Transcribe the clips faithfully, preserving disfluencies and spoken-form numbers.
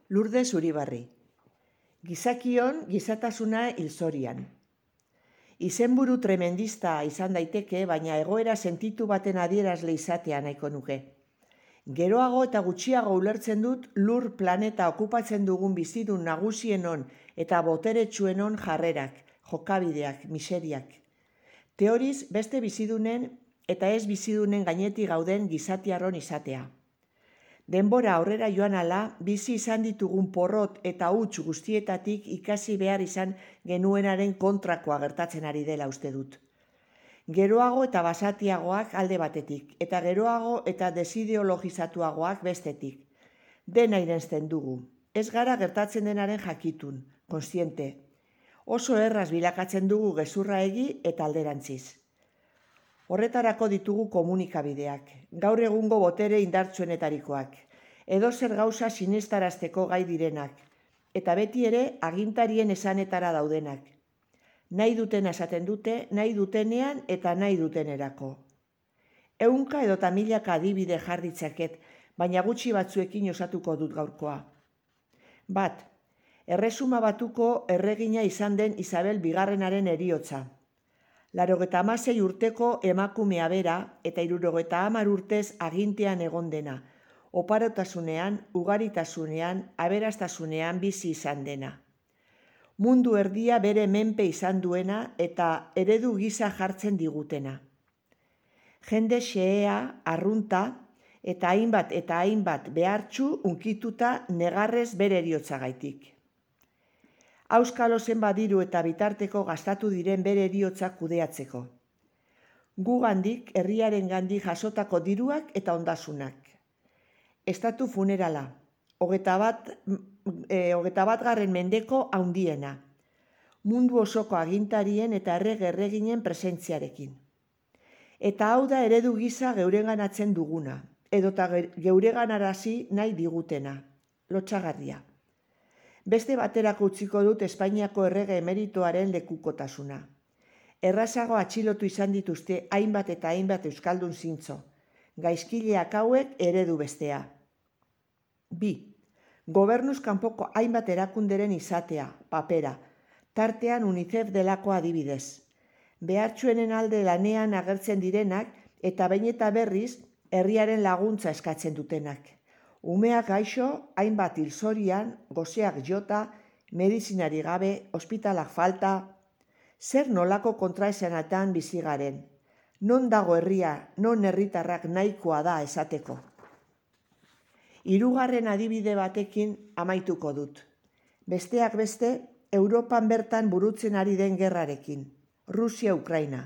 Lourdes Uribarri. Gizakion gizatasuna hilzorian. Izenburu tremendista izan daiteke, baina egoera sentitu baten adierazle izatea nahiko nuke. Geroago eta gutxiago ulertzen dut lur planeta okupatzen dugun bizidun nagusienon eta boteretsuenon jarrerak, jokabideak, miseriak. Teoriz beste bizidunen eta ez bizidunen gainetik gauden gizatiarron izatea. Denbora aurrera joan ala, bizi izan ditugun porrot eta huts guztietatik ikasi behar izan genuenaren kontrakoa gertatzen ari dela uste dut. Geroago eta basatiagoak alde batetik, eta geroago eta desideologizatuagoak bestetik. Dena irensten dugu, ez gara gertatzen denaren jakitun, kontziente. Oso erraz bilakatzen dugu gezurra egi eta alderantziz. Horretarako ditugu komunikabideak, gaur egungo botere indartsuenetarikoak, edozer gauza sinestarazteko gai direnak, eta beti ere agintarien esanetara daudenak. Nahi dutena esaten dute, nahi dutenean eta nahi dutenerako. Ehunka edota milaka adibide jarditzaket, baina gutxi batzuekin osatuko dut gaurkoa. Bat, erresuma batuko erregina izan den Isabel bigarrenaren heriotza. Laurogeita hamasei urteko emakumea bera eta hirurogeita hamar urtez agintean egon dena, oparotasunean, ugaritasunean, aberastasunean bizi izan dena. Mundu erdia bere menpe izan duena eta eredu gisa jartzen digutena. Jende xehea, arrunta eta hainbat eta hainbat behartsu unkituta negarrez bere heriotzagaitik. Auskalo zenbat diru eta bitarteko gastatu diren bere heriotza kudeatzeko. Gugandik, herriaren gandik jasotako diruak eta ondasunak. Estatu funerala, hogeita bat, e, hogeita bat garren mendeko haundiena. Mundu osoko agintarien eta errege-erreginen presentziarekin. Eta hau da eredu gisa geureganatzen duguna, edota geureganarazi nahi digutena, lotsagarria. Beste baterako utziko dut Espainiako errege emeritoaren lekukotasuna. Errazago atxilotu izan dituzte hainbat eta hainbat euskaldun zintzo. Gaizkileak hauek eredu bestea. Bi. Gobernuz kanpoko hainbat erakunderen izatea, papera, tartean UNICEF delako adibidez. Behartsuenen alde lanean agertzen direnak eta behin eta berriz herriaren laguntza eskatzen dutenak. Umeak gaixo, hainbat hilzorian, goseak jota, medizinari gabe, ospitalak falta. Zer nolako kontraesanatan bizi garen? Non dago herria, non herritarrak nahikoa da esateko? Hirugarren adibide batekin amaituko dut. Besteak beste, Europan bertan burutzen ari den gerrarekin. Rusia-Ukraina.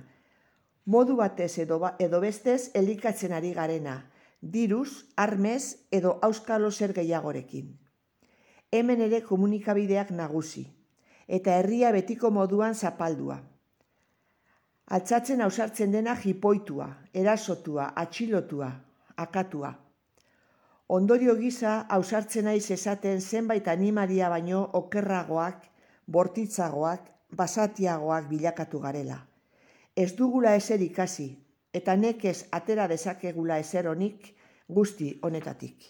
Modu batez edo, edo bestez elikatzen ari garena. Diruz, armez edo auskalo zer gehiagorekin. Hemen ere komunikabideak nagusi, eta herria betiko moduan zapaldua. Altzatzen ausartzen dena jipoitua, erasotua, atxilotua, akatua. Ondorio gisa ausartzen naiz esaten zenbait animalia baino okerragoak, bortitzagoak, basatiagoak bilakatu garela. Ez dugula ezer ikasi, eta nekez atera dezakegula ezer honik guzti honetatik.